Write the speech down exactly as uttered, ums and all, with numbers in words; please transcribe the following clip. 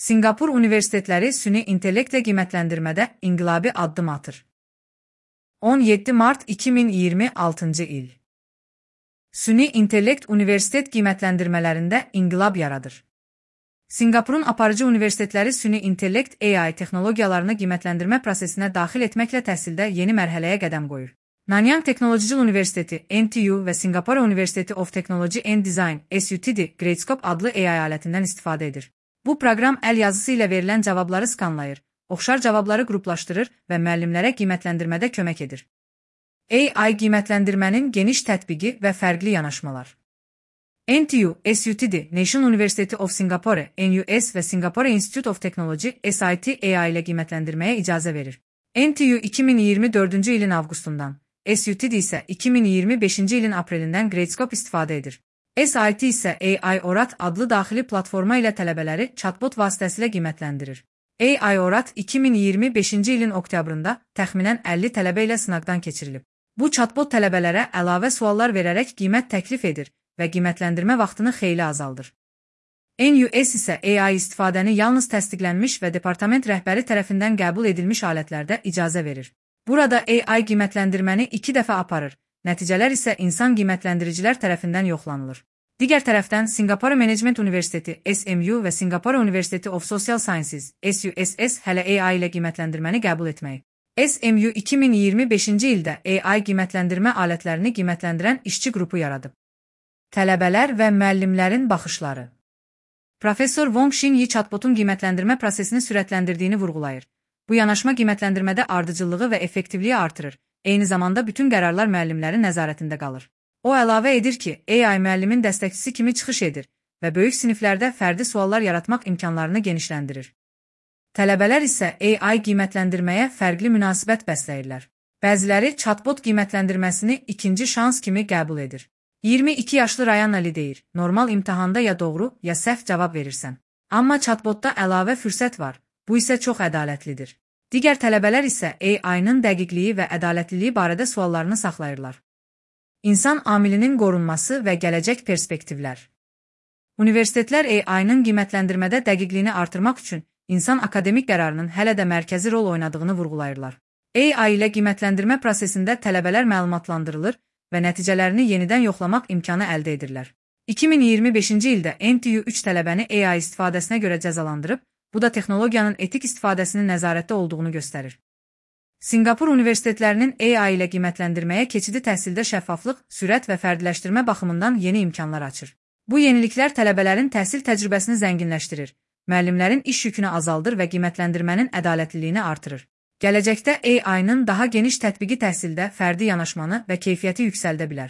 Sinqapur universitetləri süni intellektlə qiymətləndirmədə inqilabi addım atır. on yeddi mart iki min iyirmi altıncı il. Süni intellekt universitet qiymətləndirmələrində inqilab yaradır. Sinqapurun aparıcı universitetləri süni intellekt A I texnologiyalarını qiymətləndirmə prosesinə daxil etməklə təhsildə yeni mərhələyə qədəm qoyur. Nanyang Technological Universiteti N T U və Singapore University of Technology and Design S U T D Gradescope adlı A I alətindən istifadə edir. Bu proqram əl yazısı ilə verilən cavabları skanlayır, oxşar cavabları qruplaşdırır və müəllimlərə qiymətləndirmədə kömək edir. A I qiymətləndirmənin geniş tətbiqi və fərqli yanaşmalar. N T U, S U T D, National University of Singapore, N U S və Singapore Institute of Technology S I T A I ilə qiymətləndirməyə icazə verir. N T U iki min iyirmi dördüncü ilin avqustundan, S U T D isə iki min iyirmi beşinci ilin aprelindən Gradescope istifadə edir. S I T isə A I Orat adlı daxili platforma ilə tələbələri chatbot vasitəsilə qiymətləndirir. A I Orat iki min iyirmi beşinci ilin oktyabrında təxminən əlli tələbə ilə sınaqdan keçirilib. Bu chatbot tələbələrə əlavə suallar verərək qiymət təklif edir və qiymətləndirmə vaxtını xeyli azaldır. N U S isə A I istifadəni yalnız təsdiqlənmiş və departament rəhbəri tərəfindən qəbul edilmiş alətlərdə icazə verir. Burada A I qiymətləndirməni iki dəfə aparır, nəticələr isə insan qiymətləndiricilər tərəfindən yoxlanılır. Digər tərəfdən Singapore Management Universiteti S M U və Singapore University of Social Sciences S U S S hələ A I ilə qiymətləndirməni qəbul etməyib. S M U iki min iyirmi beşinci ildə A I qiymətləndirmə alətlərini qiymətləndirən işçi qrupu yaradıb. Tələbələr və müəllimlərin baxışları. Professor Wong Xin Yi chatbotun qiymətləndirmə prosesini sürətləndirdiyini vurğulayır. Bu yanaşma qiymətləndirmədə ardıcıllığı və effektivliyi artırır, eyni zamanda bütün qərarlar müəllimlərin nəzarətində qalır. O əlavə edir ki, A I müəllimin dəstəkçisi kimi çıxış edir və böyük siniflərdə fərdi suallar yaratmaq imkanlarını genişləndirir. Tələbələr isə A I qiymətləndirməyə fərqli münasibət bəsləyirlər. Bəziləri chatbot qiymətləndirməsini ikinci şans kimi qəbul edir. iyirmi iki yaşlı Ryan Ali deyir, normal imtahanda ya doğru, ya səhv cavab verirsən. Amma chatbotda əlavə fürsət var, bu isə çox ədalətlidir. Digər tələbələr isə A I-nın dəqiqliyi və ədalətliliyi barədə suallarını saxlayırlar. İnsan amilinin qorunması və gələcək perspektivlər. Universitetlər A I-nın qiymətləndirmədə dəqiqliyini artırmaq üçün insan akademik qərarının hələ də mərkəzi rol oynadığını vurğulayırlar. A I ilə qiymətləndirmə prosesində tələbələr məlumatlandırılır və nəticələrini yenidən yoxlamaq imkanı əldə edirlər. iki min iyirmi beşinci ildə N T U üç tələbəni A I istifadəsinə görə cəzalandırıb, bu da texnologiyanın etik istifadəsinin nəzarətdə olduğunu göstərir. Sinqapur universitetlərinin A I ilə qiymətləndirməyə keçidi təhsildə şəffaflıq, sürət və fərdiləşdirmə baxımından yeni imkanlar açır. Bu yeniliklər tələbələrin təhsil təcrübəsini zənginləşdirir, müəllimlərin iş yükünü azaldır və qiymətləndirmənin ədalətliliyini artırır. Gələcəkdə A I-nın daha geniş tətbiqi təhsildə fərdi yanaşmanı və keyfiyyəti yüksəldə bilər.